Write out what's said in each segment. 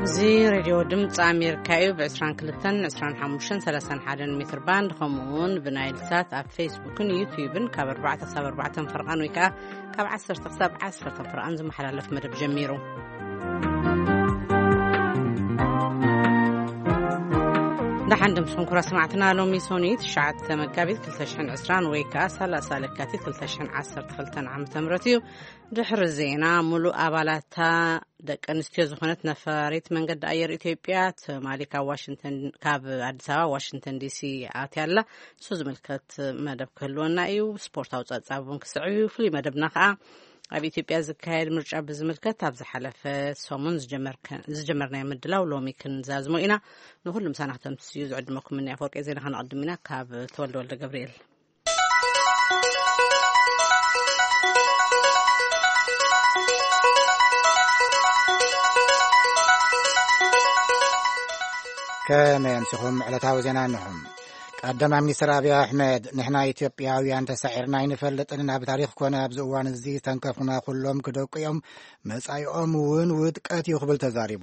እዚ ሬድዮ ድምፂ ኣሜሪካ እዩ። ብ22፣ 25፣ 31 ሜትር ባንድ፣ ከምኡ እውን ብናይል ሳት ኣብ ፌስቡክን ዩትዩብን ካብ ኣርባዕተ ክሳብ ኣርባዕተ ፈርቓን ወይ ከዓ ካብ ዓሰርተ ክሳብ ዓሰርተ ፈርቓን ዝመሓላለፍ መደብ ጀሚሩ። ደሓን ድምፅኹም ክቡራት ሰማዕትና። ሎሚ ሶኒ ትሽዓተ መጋቢት ክልተ ሽሕን ዕስራን ወይ ከዓ ሰላሳ ለካቲት ክልተ ሽሕን ዓሰርተ ክልተን ዓመተ ምህረት እዩ። ድሕሪ ዜና፣ ሙሉእ ኣባላታ ደቂ ኣንስትዮ ዝኾነት ነፋሪት መንገዲ ኣየር ኢትዮጵያ ትማሊ ካብ ዋሽንግተን፣ ካብ ኣዲስ ኣበባ ዋሽንግተን ዲሲ ኣትያ ኣላ። ንሱ ዝምልከት መደብ ክህልወና እዩ። ስፖርታዊ ጸብጻብ እውን ክስዕብ እዩ። ፍሉይ መደብና ከኣ ኣብ ኢትዮጵያ ዝካየድ ምርጫ ብዝምልከት ኣብ ዝሓለፈ ሰሙን ዝጀመርከ-፣ ዝጀመርናዮ ምድላው ሎሚ ክንዛዝሞ ኢና። ንኹሉ ምሳና ክተምስዩ ዝዕድመኩም እኒ ኣፈወርቂ ዜና ከነቐድም ኢና። ካብ ተወልደ ወልደ ገብርኤል። ከመይ ኣምሲኹም? ዕለታዊ ዜና እንሆ። ቀዳማይ ሚኒስትር ኣብይ ኣሕመድ፣ "ንሕና ኢትዮጵያውያን ተሳዒርና ኣይንፈልጥን፣ ኣብ ታሪኽ ኮነ ኣብዚ እዋን እዚ ዝተንከፍና ኩሎም ክደቁ እዮም፣ መጻኢኦም እውን ውድቀት እዩ" ክብል ተዛሪቡ።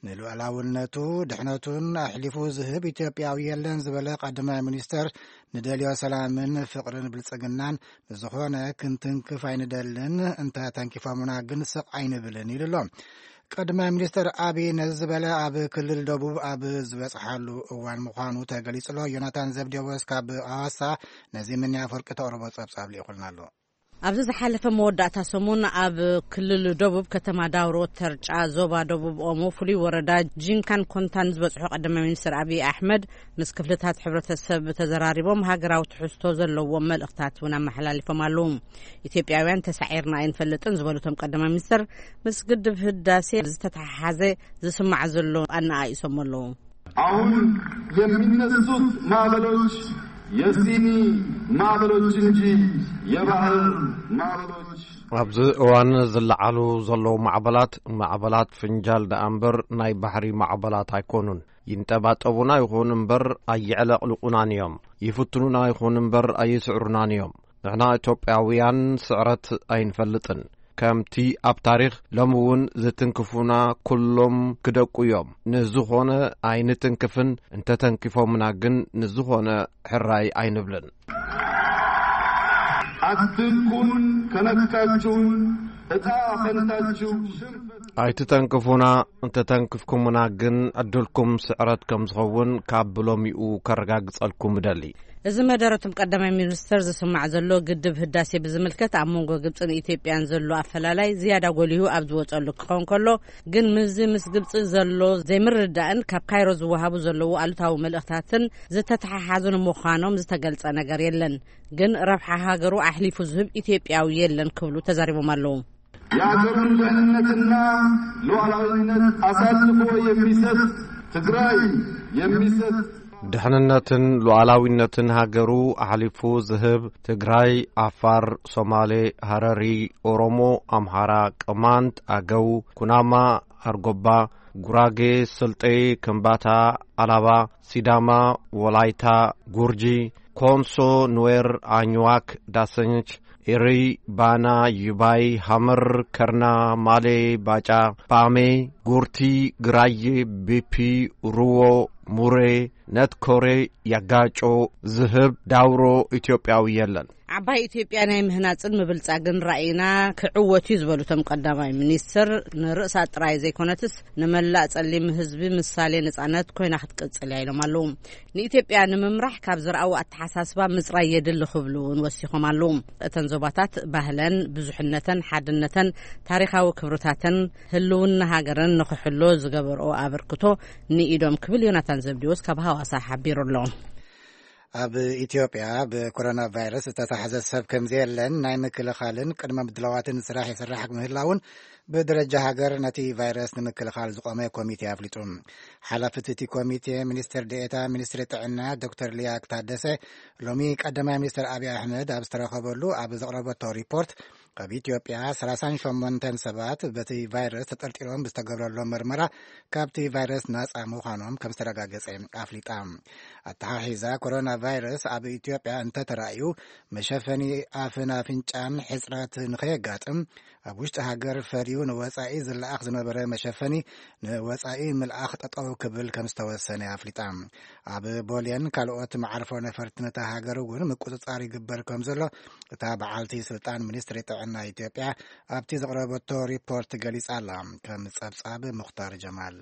ንሉዓላውነቱ፣ ድሕነቱን ኣሕሊፉ ዝህብ ኢትዮጵያዊ የለን ዝበለ ቀዳማይ ሚኒስተር፣ ንደልዮ ሰላምን ፍቕርን ብልጽግናን ንዝኾነ ክንትንክፍ ኣይንደልን፣ እንተ ተንኪፎምና ግን ስቕ ኣይንብልን ኢሉ ኣሎ። ቀዳማይ ሚኒስተር ኣቢይ ነዚ ዝበለ ኣብ ክልል ደቡብ ኣብ ዝበጽሓሉ እዋን ምዃኑ ተገሊጹ ኣሎ። ዮናታን ዘብዴዎስ ካብ ኣዋሳ ነዚ ምንያ ኣፈወርቂ ተቕርቦ ጸብጻብ ልኢኹልና ኣሎ። ኣብዚ ዝሓለፈ መወዳእታ ሰሙን ኣብ ክልል ደቡብ ከተማ ዳውሮ ተርጫ ዞባ ደቡብ ኦሞ ፍሉይ ወረዳ ጂንካን ኮንታን ዝበጽሑ ቀዳማይ ሚኒስትር ኣብይ ኣሕመድ ምስ ክፍልታት ሕብረተሰብ ተዘራሪቦም ሃገራዊ ትሕዝቶ ዘለዎም መልእኽታት እውን ኣመሓላሊፎም ኣለዉ። ኢትዮጵያውያን ተሳዒርና ኣይንፈልጥን ዝበሉ እቶም ቀዳማይ ሚኒስትር ምስ ግድብ ህዳሴ ዝተተሓሓዘ ዝስማዕ ዘሎ ኣነኣኢሶም ኣለዉ። አሁን የሚነሱት ማዕበሎች የሲኒ ማዕበሎች እንጂ የባህር ማዕበሎች። ኣብዚ እዋን ዝለዓሉ ዘለዉ ማዕበላት፣ ማዕበላት ፍንጃል ደኣ እምበር ናይ ባሕሪ ማዕበላት ኣይኮኑን። ይንጠባጠቡና ይኹን እምበር ኣየዕለቕልቑናን እዮም። ይፍትኑና ይኹን እምበር ኣይስዕሩናን እዮም። ንሕና ኢትዮጵያውያን ስዕረት ኣይንፈልጥን። ከምቲ ኣብ ታሪኽ ሎሚ እውን ዝትንክፉና ኩሎም ክደቁ እዮም። ንዝኾነ ኣይንትንክፍን፣ እንተተንኪፎምና ግን ንዝኾነ ሕራይ ኣይንብልን። አትንኩን፣ ከነካችሁን እጣ ፈንታችሁ ሽንፈት። ኣይትተንክፉና፣ እንተተንክፍኩምና ግን ዕድልኩም ስዕረት ከም ዝኸውን ካብ ብሎሚኡ ከረጋግጸልኩም እደሊ። እዚ መደረቶም ቀዳማይ ሚኒስተር ዝስማዕ ዘሎ ግድብ ህዳሴ ብዝምልከት ኣብ መንጎ ግብጽን ኢትዮጵያን ዘሎ ኣፈላላይ ዝያዳ ጎሊሁ ኣብ ዝወጸሉ ክኸውን ከሎ፣ ግን ምስዚ ምስ ግብጺ ዘሎ ዘይምርድዳእን ካብ ካይሮ ዝወሃቡ ዘለዉ ኣሉታዊ መልእኽታትን ዝተተሓሓዙ ንምዃኖም ዝተገልጸ ነገር የለን። ግን ረብሓ ሃገሩ ኣሕሊፉ ዝህብ ኢትዮጵያዊ የለን ክብሉ ተዛሪቦም ኣለዉ። የሀገሩን ደህንነትና ሉዓላዊነት አሳልፎ የሚሰጥ ትግራይ የሚሰጥ ድሕንነትን ሉዓላዊነትን ሃገሩ ኣሕሊፉ ዝህብ ትግራይ፣ ዓፋር፣ ሶማሌ፣ ሃረሪ፣ ኦሮሞ፣ ኣምሓራ፣ ቅማንት፣ ኣገው፣ ኩናማ፣ ኣርጎባ፣ ጉራጌ፣ ስልጤ፣ ከምባታ፣ ኣላባ፣ ሲዳማ፣ ወላይታ፣ ጉርጂ፣ ኮንሶ፣ ኑዌር፣ ኣኝዋክ፣ ዳሰንች፣ ኤሪ፣ ባና፣ ይባይ፣ ሃመር፣ ከርና፣ ማሌ፣ ባጫ፣ ባሜ፣ ጉርቲ፣ ግራዬ፣ ቤፒ፣ ሩዎ፣ ሙሬ፣ ነትኮሬ፣ ያጋጮ፣ ዝህብ፣ ዳውሮ ኢትዮጵያዊ የለን። ዓባይ ኢትዮጵያ ናይ ምህናጽን ምብልጻግን ራእይና ክዕወት እዩ ዝበሉ እቶም ቀዳማይ ሚኒስትር፣ ንርእሳ ጥራይ ዘይኮነትስ ንመላእ ጸሊም ህዝቢ ምሳሌ ነጻነት ኮይና ክትቅጽል እያ ኢሎም ኣለዉ። ንኢትዮጵያ ንምምራሕ ካብ ዝረኣዎ ኣተሓሳስባ ምጽራይ የድሊ ክብሉ እውን ወሲኾም ኣለዉ። እተን ዞባታት ባህለን፣ ብዙሕነተን፣ ሓድነተን፣ ታሪኻዊ ክብርታተን፣ ህልውና ሃገረን ንኽሕሎ ዝገበርኦ ኣበርክቶ ንኢዶም ክብል ዮናታን ዘብዲዎስ ካብ ሃዋሳ ሓቢሩ ኣሎ። ኣብ ኢትዮጵያ ብኮሮና ቫይረስ ዝተታሕዘ ሰብ ከም ዘየለን ናይ ምክልኻልን ቅድመ ምድላዋትን ስራሕ ይስራሕ ምህላውን ብደረጃ ሃገር ነቲ ቫይረስ ንምክልኻል ዝቖመ ኮሚቴ ኣፍሊጡ። ሓላፊት እቲ ኮሚቴ ሚኒስትር ዴኤታ ሚኒስትሪ ጥዕና ዶክተር ሊያ ታደሰ ሎሚ ቀዳማይ ሚኒስትር ኣብይ ኣሕመድ ኣብ ዝተረኸበሉ ኣብ ዘቕረበቶ ሪፖርት ካብ ኢትዮጵያ ሰላሳን ሸሞንተን ሰባት በቲ ቫይረስ ተጠርጢሮም ብዝተገብረሎም መርመራ ካብቲ ቫይረስ ናጻ ምዃኖም ከም ዝተረጋገጸ ኣፍሊጣ። ኣተሓሒዛ ኮሮና ቫይረስ ኣብ ኢትዮጵያ እንተተራእዩ መሸፈኒ ኣፍን ኣፍንጫን ሕጽረት ንኸየጋጥም ኣብ ውሽጢ ሃገር ፈርዩ ንወጻኢ ዝለኣኽ ዝነበረ መሸፈኒ ንወጻኢ ምልኣኽ ጠጠው ክብል ከም ዝተወሰነ ኣፍሊጣ። ኣብ ቦሌን ካልኦት መዓርፎ ነፈርቲ ነታ ሃገር እውን ምቁጽጻር ይግበር ከም ዘሎ እታ በዓልቲ ስልጣን ሚኒስትሪ ጥዕና ኢትዮጵያ ኣብቲ ዘቕረበቶ ሪፖርት ገሊጻ ኣላ። ከም ጸብጻብ ሙኽታር ጀማል።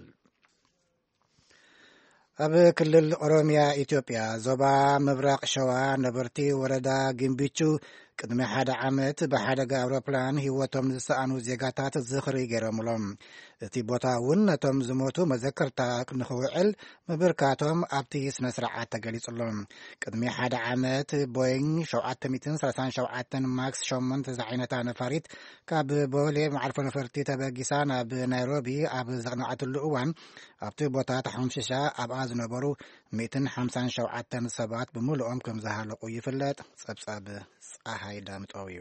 ኣብ ክልል ኦሮሚያ ኢትዮጵያ ዞባ ምብራቕ ሸዋ ነበርቲ ወረዳ ግንቢቹ ቅድሚ ሓደ ዓመት ብሓደጋ ኣውሮፕላን ህይወቶም ንዝሰኣኑ ዜጋታት ዝኽሪ ገይሮምሎም። እቲ ቦታ እውን ነቶም ዝሞቱ መዘከርታ ንኽውዕል ምብርካቶም ኣብቲ ስነ ስርዓት ተገሊጹሎም። ቅድሚ ሓደ ዓመት ቦይንግ ሸውዓተ ሚእትን ሰላሳን ሸውዓተን ማክስ ሸሞንተ ዝዓይነታ ነፋሪት ካብ ቦሌ መዓርፎ ነፈርቲ ተበጊሳ ናብ ናይሮቢ ኣብ ዘቕነዓትሉ እዋን ኣብቲ ቦታ ተሓምሽሻ ኣብኣ ዝነበሩ ሚእትን ሓምሳን ሸውዓተን ሰባት ብምሉኦም ከም ዝሃለቑ ይፍለጥ። ጸብጻብ ጸሃይ ዳምጠው እዩ።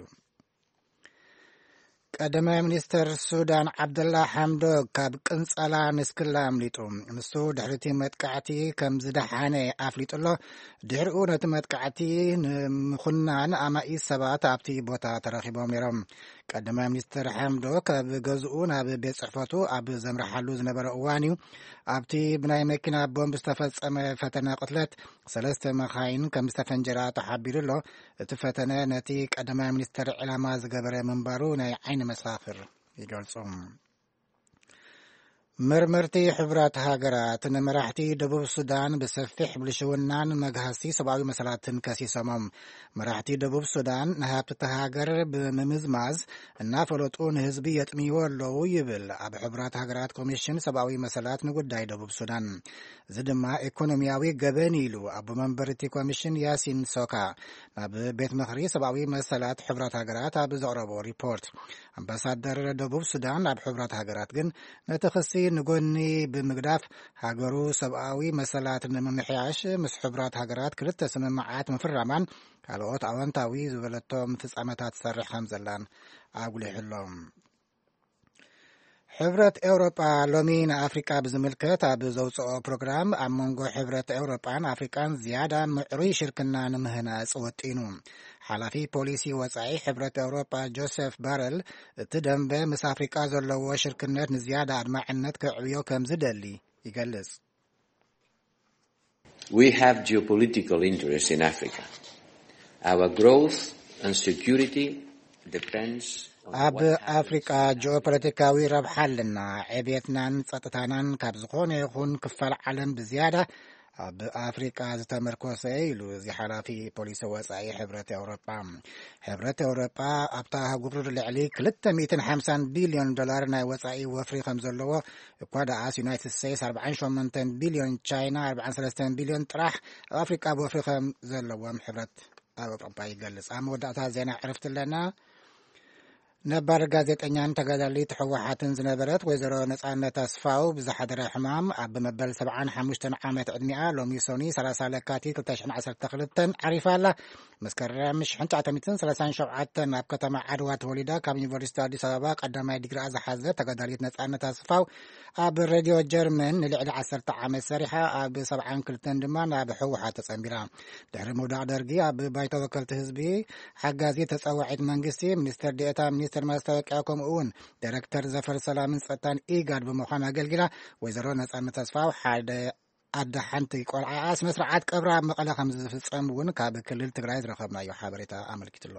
ቀዳማይ ሚኒስተር ሱዳን ዓብደላ ሓምዶክ ካብ ቅንጸላ ንስክላ ኣምሊጡ። ንሱ ድሕሪ እቲ መጥቃዕቲ ከም ዝደሓነ ኣፍሊጡ ኣሎ። ድሕሪኡ ነቲ መጥቃዕቲ ንምኹናን ኣማኢት ሰባት ኣብቲ ቦታ ተረኺቦም ነይሮም። ቀዳማይ ሚኒስተር ሓምዶክ ካብ ገዝኡ ናብ ቤት ጽሕፈቱ ኣብ ዘምርሓሉ ዝነበረ እዋን እዩ ኣብቲ ብናይ መኪና ቦምብ ዝተፈጸመ ፈተነ ቅትለት ሰለስተ መኻይን ከም ዝተፈንጀራ ተሓቢሩ ኣሎ። እቲ ፈተነ ነቲ ቀዳማይ ሚኒስተር ዕላማ ዝገበረ ምንባሩ ናይ ዓይኒ መሳኽር ይገልጹ። መርመርቲ ሕቡራት ሃገራት ንመራሕቲ ደቡብ ሱዳን ብሰፊሕ ብልሽውናን መግሃስቲ ሰብኣዊ መሰላትን ከሲሶሞም። መራሕቲ ደቡብ ሱዳን ንሃብቲ እታ ሃገር ብምምዝማዝ እናፈለጡ ንህዝቢ የጥምይዎ ኣለዉ ይብል ኣብ ሕቡራት ሃገራት ኮሚሽን ሰብኣዊ መሰላት ንጉዳይ ደቡብ ሱዳን። እዚ ድማ ኢኮኖሚያዊ ገበን ኢሉ ኣቦ መንበር እቲ ኮሚሽን ያሲን ሶካ ናብ ቤት ምኽሪ ሰብኣዊ መሰላት ሕቡራት ሃገራት ኣብ ዘቕረቦ ሪፖርት። ኣምባሳደር ደቡብ ሱዳን ኣብ ሕቡራት ሃገራት ግን ነቲ ክሲ ንጎኒ ብምግዳፍ ሃገሩ ሰብኣዊ መሰላት ንምምሕያሽ ምስ ሕቡራት ሃገራት ክልተ ስምምዓት ምፍራማን ካልኦት ኣወንታዊ ዝበለቶ ፍጻመታት ትሰርሕ ከም ዘላን ኣጉሊሕሎም። ሕብረት ኤውሮጳ ሎሚ ንኣፍሪቃ ብዝምልከት ኣብ ዘውፅኦ ፕሮግራም ኣብ መንጎ ሕብረት ኤውሮጳን ኣፍሪቃን ዝያዳ ምዕሩይ ሽርክና ንምህናፅ ወጢኑ። ሓላፊ ፖሊሲ ወፃኢ ሕብረት ኤውሮጳ ጆሴፍ ባረል እቲ ደንበ ምስ ኣፍሪቃ ዘለዎ ሽርክነት ንዝያዳ ኣድማዕነት ከዕብዮ ከም ዝደሊ ይገልጽ። We have geopolitical interests in Africa. Our growth and security depends on ኣብ ኣፍሪቃ ጂኦፖለቲካዊ ረብሓ ኣለና። ዕብየትናን ጸጥታናን ካብ ዝኾነ ይኹን ክፋል ዓለም ብዝያዳ ኣብ ኣፍሪቃ ዝተመርኮሰ እዩ ኢሉ እዚ ሓላፊ ፖሊሲ ወጻኢ ሕብረት ኤውሮጳ። ሕብረት ኤውሮጳ ኣብታ ኣህጉር ልዕሊ ክልተ ሚእትን ሓምሳን ቢልዮን ዶላር ናይ ወጻኢ ወፍሪ ከም ዘለዎ እኳ ደኣስ ዩናይትድ ስቴትስ ኣርባዓን ሸሞንተን ቢልዮን፣ ቻይና ኣርባዓን ሰለስተን ቢልዮን ጥራሕ ኣብ ኣፍሪቃ ወፍሪ ከም ዘለዎም ሕብረት ኣብ ኣውሮጳ ይገልጽ። ኣብ መወዳእታ ዜና ዕርፍቲ ኣለና። ነባር ጋዜጠኛን ተጋዳሊት ህወሓትን ዝነበረት ወይዘሮ ነጻነት ኣስፋው ብዝሓደረ ሕማም ኣብ መበል ሰብዓን ሓሙሽተን ዓመት ዕድሚኣ ሎሚ ሶኒ ሰላሳ ለካቲት ክልተ ሽሕን ዓሰርተ ክልተን ዓሪፋ ኣላ። መስከረም ሽሕን ትሽዓተ ሚእትን ሰላሳን ሸውዓተን ኣብ ከተማ ዓድዋ ተወሊዳ ካብ ዩኒቨርሲቲ ኣዲስ ኣበባ ቀዳማይ ዲግሪኣ ዝሓዘ ተጋዳሊት ነጻነት ኣስፋው ኣብ ሬድዮ ጀርመን ንልዕሊ ዓሰርተ ዓመት ሰሪሓ ኣብ ሰብዓን ክልተን ድማ ናብ ህወሓት ተጸንቢራ። ድሕሪ ምውዳቕ ደርጊ ኣብ ባይቶ ወከልቲ ህዝቢ ሓጋዚ ተጸዋዒት መንግስቲ ሚኒስትር ዴኤታ ሚኒስትር ማስታወቂያ ከምኡ እውን ዳይሬክተር ዘፈር ሰላምን ጸጥታን ኢጋድ ብምዃን ኣገልጊላ። ወይዘሮ ነጻነት ተስፋው ሓደ ኣደ ሓንቲ ቆልዓኣ ስነ ስርዓት ቀብራ ኣብ መቐለ ከም ዝፍጸም እውን ካብ ክልል ትግራይ ዝረኸብናዮ ሓበሬታ ኣመልኪቱ ኣሎ።